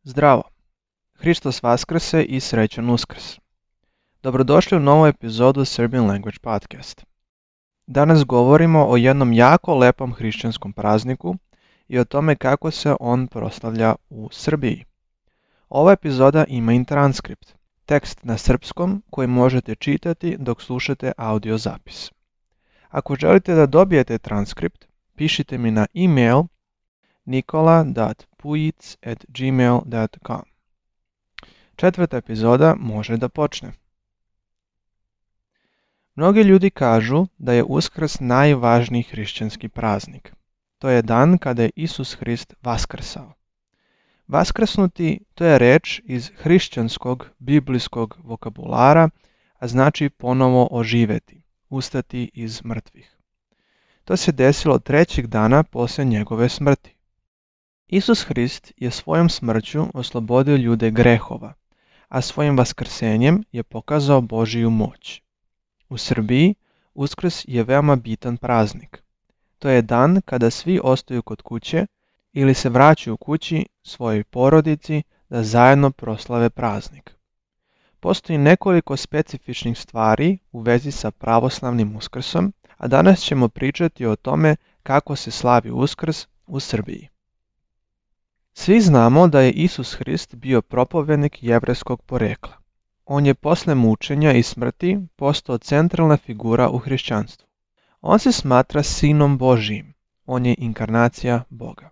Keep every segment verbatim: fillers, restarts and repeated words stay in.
Zdravo! Hristos Vaskrse i srećan Uskrs! Dobrodošli u novu epizodu Serbian Language Podcast. Danas govorimo o jednom jako lepom hrišćanskom prazniku i o tome kako se on proslavlja u Srbiji. Ova epizoda ima i transkript, tekst na srpskom koji možete čitati dok slušate audio zapis. Ako želite da dobijete transkript, pišite mi na e-mail nikola dot pujic at gmail dot com. Četvrta epizoda može da počne. Mnogi ljudi kažu da je Uskrs najvažniji hrišćanski praznik. To je dan kada je Isus Hrist vaskrsao. Vaskrsnuti to je reč iz hrišćanskog biblijskog vokabulara, a znači ponovo oživeti, ustati iz mrtvih. To se desilo trećeg dana poslije njegove smrti. Isus Hrist je svojom smrću oslobodio ljude grehova, a svojim vaskrsenjem je pokazao Božiju moć. U Srbiji Uskrs je veoma bitan praznik. To je dan kada svi ostaju kod kuće ili se vraćaju kući svojoj porodici da zajedno proslave praznik. Postoji nekoliko specifičnih stvari u vezi sa pravoslavnim Uskrsom, a danas ćemo pričati o tome kako se slavi Uskrs u Srbiji. Svi znamo da je Isus Hrist bio propovednik jevrejskog porekla. On je posle mučenja i smrti postao centralna figura u hrišćanstvu. On se smatra sinom Božijim. On je inkarnacija Boga.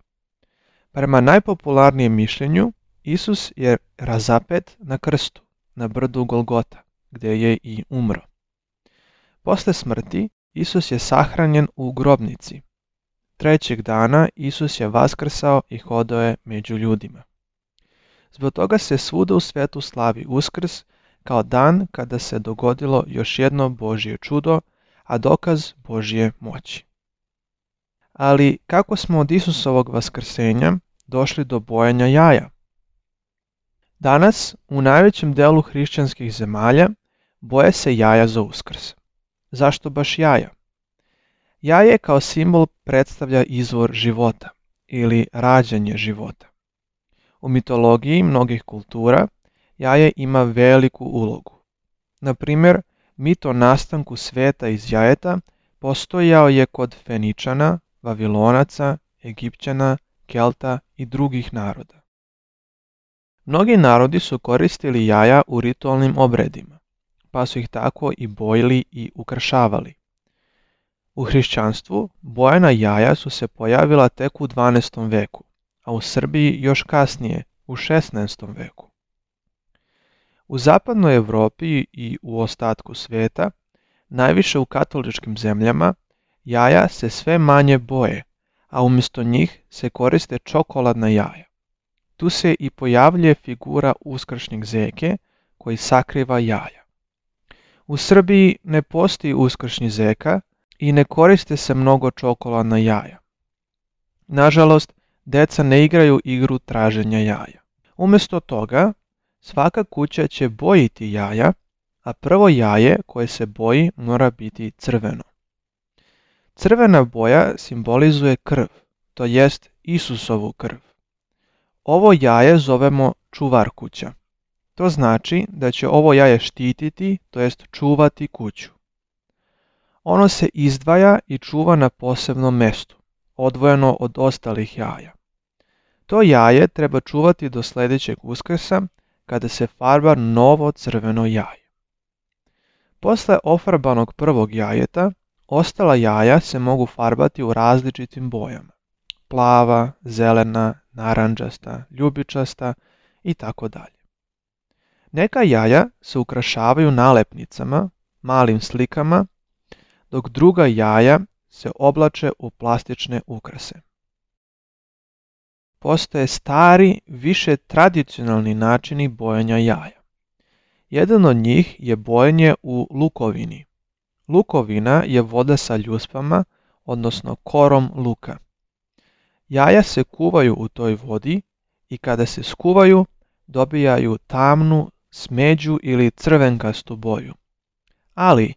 Prema najpopularnijem mišljenju, Isus je razapet na krstu, na brdu Golgota, gdje je i umro. Posle smrti, Isus je sahranjen u grobnici. Trećeg dana Isus je vaskrsao i hodao je među ljudima. Zbog toga se svuda u svetu slavi Uskrs kao dan kada se dogodilo još jedno Božje čudo, a dokaz Božje moći. Ali kako smo od Isusovog vaskrsenja došli do bojanja jaja? Danas u najvećem delu hrišćanskih zemalja boje se jaja za Uskrs. Zašto baš jaja? Jaje kao simbol predstavlja izvor života ili rađanje života. U mitologiji mnogih kultura jaje ima veliku ulogu. Na primjer, mit o nastanku sveta iz jajeta postojao je kod Feničana, Vavilonaca, Egipćana, Kelta i drugih naroda. Mnogi narodi su koristili jaja u ritualnim obredima, pa su ih tako i bojili i ukrašavali. U hrišćanstvu bojana jaja su se pojavila tek u dvanaestom veku, a u Srbiji još kasnije, u šesnaestom veku. U zapadnoj Europi i u ostatku sveta, najviše u katoličkim zemljama, jaja se sve manje boje, a umjesto njih se koriste čokoladna jaja. Tu se i pojavljuje figura uskršnjeg zeke koji sakriva jaja. U Srbiji ne postoji uskršnji zeka i ne koriste se mnogo čokoladna jaja. Nažalost, deca ne igraju igru traženja jaja. Umjesto toga, svaka kuća će bojiti jaja, a prvo jaje koje se boji mora biti crveno. Crvena boja simbolizuje krv, to jest Isusovu krv. Ovo jaje zovemo čuvar kuća. To znači da će ovo jaje štititi, to jest čuvati kuću. Ono se izdvaja i čuva na posebnom mjestu, odvojeno od ostalih jaja. To jaje treba čuvati do sljedećeg Uskrsa, kada se farba novo crveno jaje. Posle ofarbanog prvog jajeta, ostala jaja se mogu farbati u različitim bojama. Plava, zelena, narandžasta, ljubičasta i tako dalje. Neka jaja se ukrašavaju nalepnicama, malim slikama, dok druga jaja se oblače u plastične ukrase. Postoje stari, više tradicionalni načini bojanja jaja. Jedan od njih je bojenje u lukovini. Lukovina je voda sa ljuspama, odnosno korom luka. Jaja se kuvaju u toj vodi i kada se skuvaju, dobijaju tamnu, smeđu ili crvenkastu boju. Ali,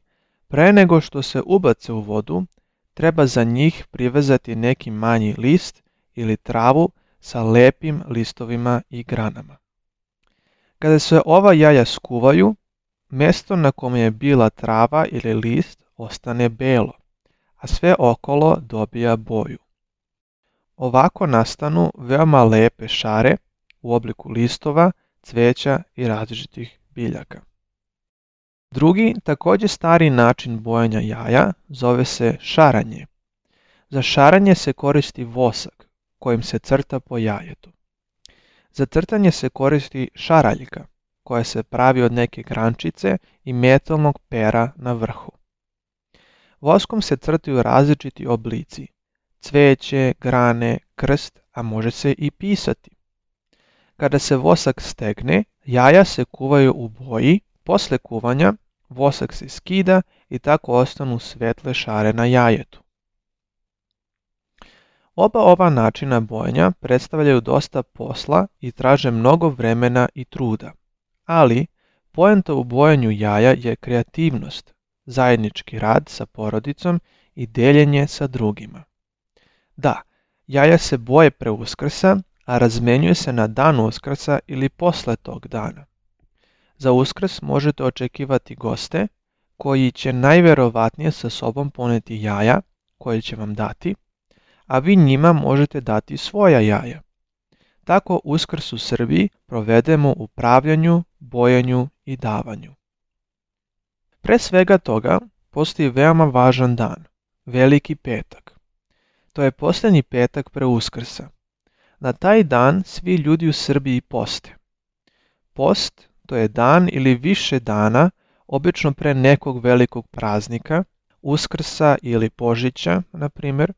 pre nego što se ubace u vodu, treba za njih privezati neki manji list ili travu sa lepim listovima i granama. Kada se ova jaja skuvaju, mjesto na kome je bila trava ili list ostane belo, a sve okolo dobija boju. Ovako nastanu veoma lepe šare u obliku listova, cveća i različitih biljaka. Drugi, također stari način bojanja jaja zove se šaranje. Za šaranje se koristi vosak kojim se crta po jajetu. Za crtanje se koristi šaraljka koja se pravi od neke grančice i metalnog pera na vrhu. Voskom se crtaju različiti oblici, cveće, grane, krst, a može se i pisati. Kada se vosak stegne, jaja se kuvaju u boji, posle kuvanja vosak se skida i tako ostanu svetle šare na jajetu. Oba ova načina bojenja predstavljaju dosta posla i traže mnogo vremena i truda, ali poenta u bojanju jaja je kreativnost, zajednički rad sa porodicom i deljenje sa drugima. Da, jaja se boje pre Uskrsa, a razmenjuje se na dan Uskrsa ili posle tog dana. Za Uskrs možete očekivati goste koji će najverovatnije sa sobom poneti jaja koje će vam dati, a vi njima možete dati svoja jaja. Tako Uskrs u Srbiji provedemo u pravljanju, bojanju i davanju. Pre svega toga postoji veoma važan dan, Veliki petak. To je posljednji petak pre Uskrsa. Na taj dan svi ljudi u Srbiji poste. Post to je dan ili više dana, obično pre nekog velikog praznika, Uskrsa ili Božića, na primjer,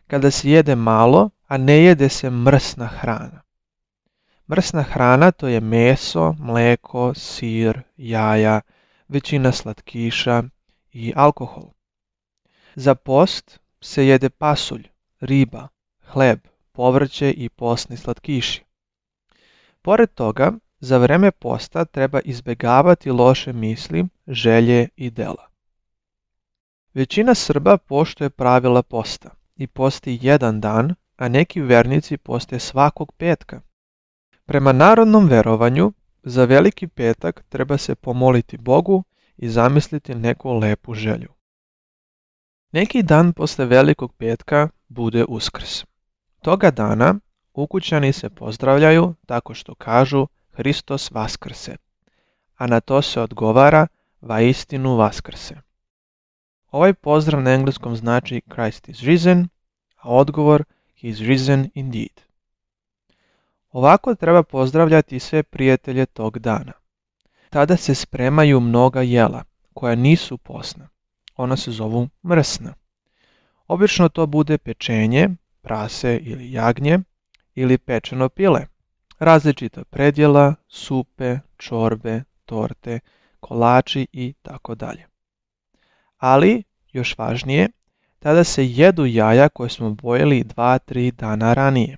kada se jede malo, a ne jede se mrsna hrana. Mrsna hrana to je meso, mleko, sir, jaja, većina slatkiša i alkohol. Za post se jede pasulj, riba, hleb, povrće i postni slatkiši. Pored toga, za vreme posta treba izbjegavati loše misli, želje i dela. Većina Srba poštuje pravila posta i posti jedan dan, a neki vernici poste svakog petka. Prema narodnom verovanju, za Veliki petak treba se pomoliti Bogu i zamisliti neku lepu želju. Neki dan posle Velikog petka bude Uskrs. Toga dana ukućani se pozdravljaju tako što kažu Hristos vaskrse, a na to se odgovara vaistinu vaskrse. Ovaj pozdrav na engleskom znači Christ is risen, a odgovor He is risen indeed. Ovako treba pozdravljati sve prijatelje tog dana. Tada se spremaju mnoga jela koja nisu posna. Ona se zovu mrsna. Obično to bude pečenje, prase ili jagnje, ili pečeno pile, različita predjela, supe, čorbe, torte, kolači i tako dalje. Ali, još važnije, tada se jedu jaja koje smo bojili dva do tri dana ranije.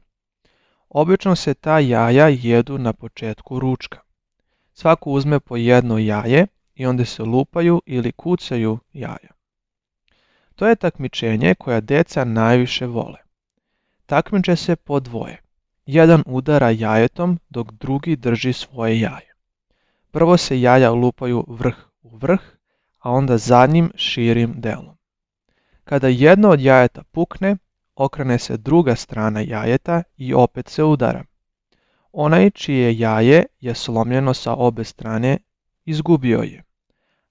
Obično se ta jaja jedu na početku ručka. Svako uzme po jedno jaje i onda se lupaju ili kucaju jaja. To je takmičenje koja deca najviše vole. Takmiče se po dvoje. Jedan udara jajetom dok drugi drži svoje jaje. Prvo se jaja lupaju vrh u vrh, a onda zadnjim širim delom. Kada jedno od jajeta pukne, okrene se druga strana jajeta i opet se udara. Onaj čije jaje je slomljeno sa obe strane, izgubio je,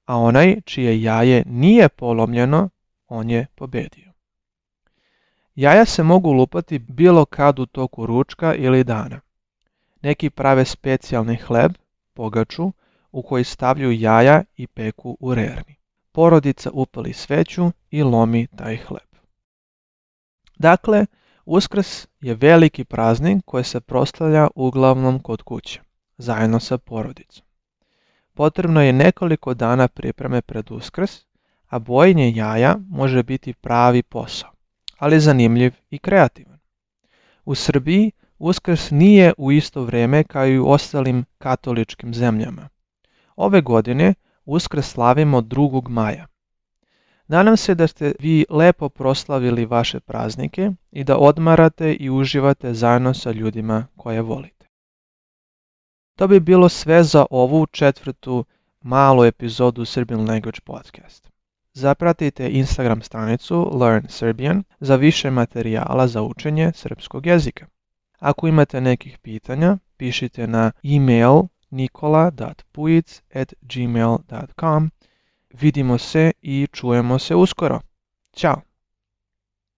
a onaj čije jaje nije polomljeno, on je pobedio. Jaja se mogu lupati bilo kad u toku ručka ili dana. Neki prave specijalni hleb, pogaču, u koji stavljaju jaja i peku u rerni. Porodica upali sveću i lomi taj hleb. Dakle, Uskrs je veliki praznik koji se proslavlja uglavnom kod kuće, zajedno sa porodicom. Potrebno je nekoliko dana pripreme pred Uskrs, a bojenje jaja može biti pravi posao, ali zanimljiv i kreativan. U Srbiji Uskrs nije u isto vrijeme kao i u ostalim katoličkim zemljama. Ove godine Uskrs slavimo drugog maja. Nadam se da ste vi lepo proslavili vaše praznike i da odmarate i uživate zajedno sa ljudima koje volite. To bi bilo sve za ovu četvrtu malu epizodu Serbian Language Podcast. Zapratite Instagram stranicu Learn Serbian za više materijala za učenje srpskog jezika. Ako imate nekih pitanja, pišite na e-mail nikola dot pujic at gmail dot com. Vidimo se i čujemo se uskoro. Ćao!